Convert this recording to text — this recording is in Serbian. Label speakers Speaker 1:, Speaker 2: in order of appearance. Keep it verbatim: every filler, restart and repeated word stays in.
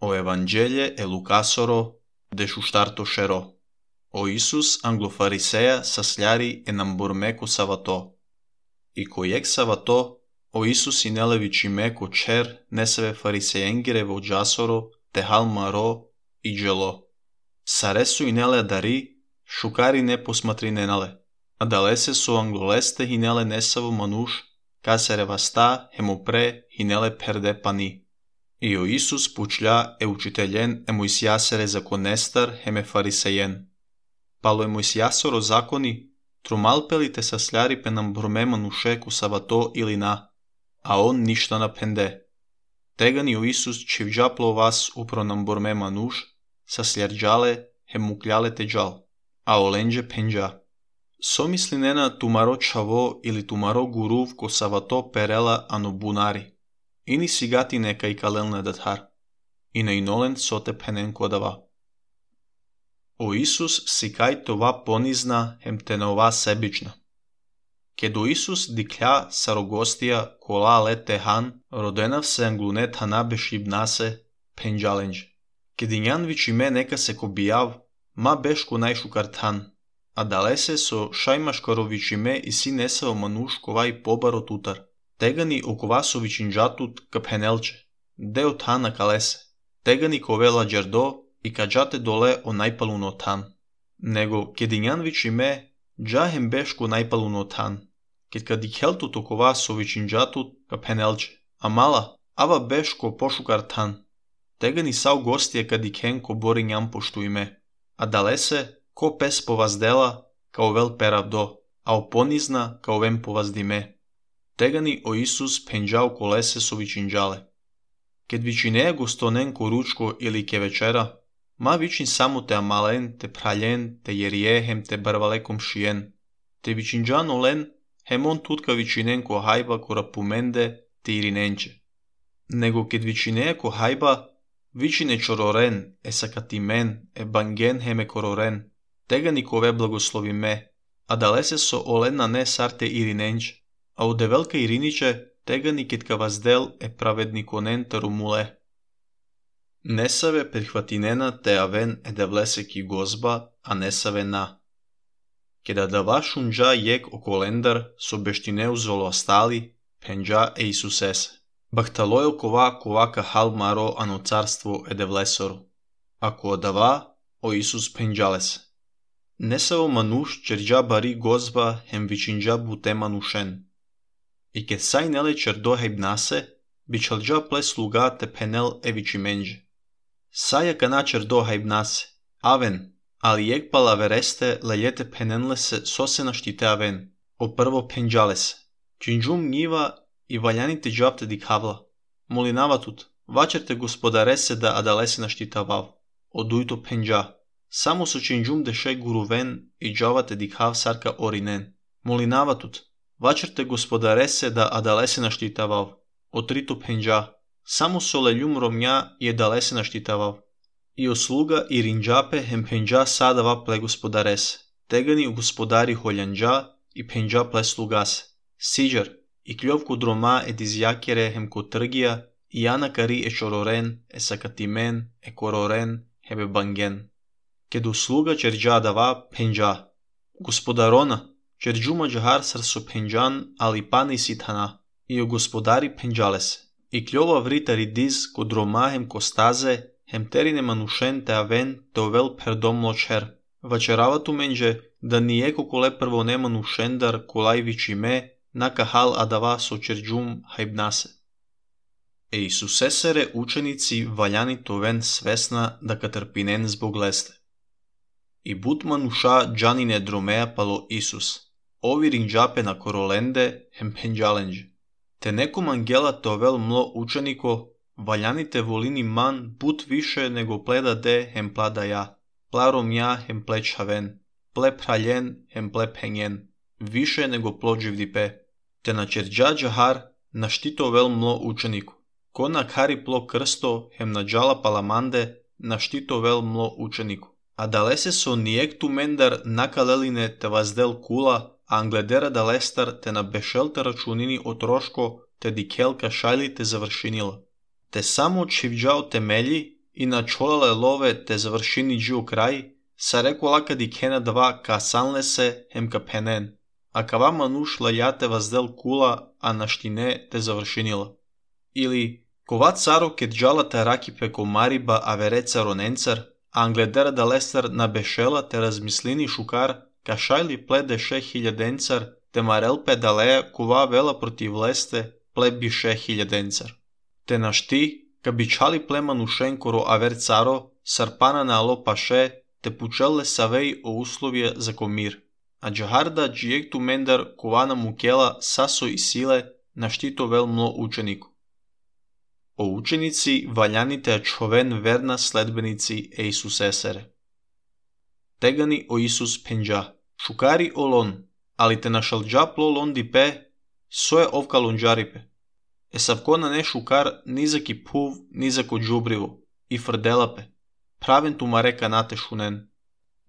Speaker 1: O Evangelje e Lukasoro de shushtarto shero. O Isus anglofariseja sasljari e namburmeko savato. I kojek savato, o Isus inelevičime ko čer neseve farisejengire vo džasoro te halmaro i dželo. Saresu inele dari, šukari ne posmatri nenale. Adalese so angloleste hinele nesavo manuš, kasere vasta hemopre hinele perde pani. I o Isus pučlja e učiteljen e Mojsijasere zakonestar heme farisejen. Palo e Mojsijasoro zakoni, trumalpeli te sasljari pe nam brume manuše ku savato ili na, a on ništa na pende. Tegani o Isus čivđaplo vas upro nam burme manuš, sasljarđale hemukljale te džal, a olenđe penđa. Somisli nena tumaro čavo ili tumaro guruv ko savato perela ano bunari. Ini sigati neka i kalelne dathar. I na inolen sote penen kodava. O Isus sikaj tova ponizna hem te na ova sebična. Kedo Isus diklja sarogostija kola lete han, rodenav se anglunet hanabe šibnase penđalenđ. Kedinjan vičime neka se kobijav, ma beško najšu kartan, a dalese so šajmaškaro vičime i si nesao manuš kovaj pobaro tutar. Tegani okovasovićin džatut ka penelče, deo tana kalese, tegani kovela džerdo i kađate dole o najpaluno tan. Nego kedinjan vičime džahem beško najpaluno tan, ked kad ikheltut okovasovićin džatut ka penelče, a mala ava beško pošukar tan. Tegani sav gostije kad ikhen ko borinjam poštu ime, a dalese ko pes povazdela kao vel peravdo, a oponizna kao vem povazdime. Tegani o Isus penđao kolese so vičinđale. Ked vičineja gostonen ko ručko ili ke večera, ma vičin samo te amalen, te praljen, te jerijehem, te barvalekom šijen. Te vičinđan olen, hemon tutka vičinen ko hajba ko rapumende, te irinenče. Nego ked vičineja ko hajba, vičine čororen, e sakatimen, e bangen heme kororen, tegani kove blagoslovi me, a dalese so olen na ne sarte irinenče. A u develka Iriniće tegani kitka vazdel e pravednikonen tarumule. Nesave prihvatinena te aven e devleseki gozba, a nesave na. Keda dava šunđa jek okolendar so beštine uzolo ostali, penđa e Isusese. Bahtalojel kova kovaka halmaro ano carstvo e devlesoru. Ako dava, o Isus penđalese. Nesavo manuš čerđa bari gozba hem vičinđa bute manušen. I kad saj nele čerdo hejbnase, bi čalđa ple sluga te penel eviči menđe. Saja kana čerdo hejbnase, aven, ali jek pala vereste lejete penenle se sose naštite aven, o prvo penđale se. Činđum njiva i valjanite džapte dikhavla. Molinava tut, vačerte gospodarese da adalese naštitavav, odujto penđa. Samo so činđum deše guruven i džavate dikhav sarka orinen. Molinava tut, vačerte gospodarese da adalese naštitavav, otrito penđa, samo soleljum romnja je dalese naštitavav. I osluga i rinđape hem penđa sadava ple gospodarese, tegani u gospodari holjanđa i penđa ple slugase. Siđar, i kljovku droma e dizjakere hem kotrgija, i anakari e čororen, e sakatimen, e kororen, hebe bangen. Ked usluga čerđa dava penđa. Gospodarona, čerđuma džahar sar so penđan, ali pani sithana, i o gospodari penđales. I kljova vritari diz ko dromahem kostaze, hem terine manušen te aven te ovel perdom ločer. Vačeravatu menđe, da nijeko kole prvo ne manušendar kolaj vičime, naka hal adava so čerđum hajbnase. E Isusesere učenici valjani to ven svesna da katrpinen zbog leste. I but manuša džanine dromeja palo Isus. Ovi rinđape na korolende hem penđalenđe. Te nekom angela tovel mlo učeniko, valjanite volini man but više nego pleda de hem plada ja. Plarom ja hem pleć haven, ple praljen hem ple penjen, više nego plođiv dipe. Te na čerđa džahar naštito vel mlo učeniku. Ko na kari plo krsto hem na džala palamande naštito vel mlo učeniku. A dalese so nijek tu mendar nakaleline te vazdel kula, a angledera da lestar te na bešelta računini otroško te dikelka šajli te završinila. Te samo čivđao temelji, и начолале лове те завршини джио крај, са рекола ди кена два ка санлесе хем ка пенен, а кава мануш лајате ваздел кула, а наштине те завршинила. Или, кова царо ке джалата раки пеко мариба авереца роненцар, а англедер да лестер на бешела те размислини шукар, ка шайли пледе ше хиляденцар, те марел педалея кова вела против лесте, плеби ше хиляденцар. Те нашти, ка бичали племанушен коро авер царо, сарпана на ало паше, те пучелле савеј о условија за комир, а джахарда джиекту мендар кована мукела сасо и силе наштито вел мло ученику. О ученици ваљаните човен верна следбеници е Исус есере. Тегани о Исус пенџа, шукари олон, али те нашалџа пло лон дипе, сое овка лонџарипе. Е савкона не шукар низаки пув, низако джубриво, и фрделапе, правен тумарека нате шунен.